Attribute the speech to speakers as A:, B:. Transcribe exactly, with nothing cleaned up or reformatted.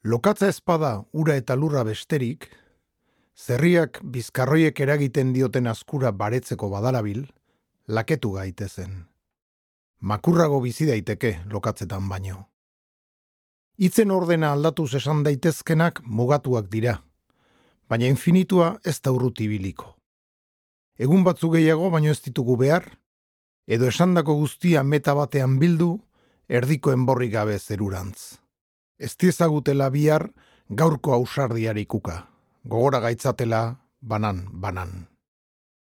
A: Lokatza ezpada ura eta lurra besterik, zerriak bizkarroiek eragiten dioten askura baretzeko badarabil, laketu gaitezen. Makurrago bizi daiteke lokatzetan baino. Hitzen ordena aldatuz esan daitezkenak mugatuak dira, baina infinitua ez da urruti ibiliko. Egun batzu gehiago baino ez ditugu behar, edo esandako guztia meta batean bildu, erdiko enborri gabe zerurantz. Ez diezagutela bihar gaurko ausardiarikuka, gogora gaitzatela banan-banan.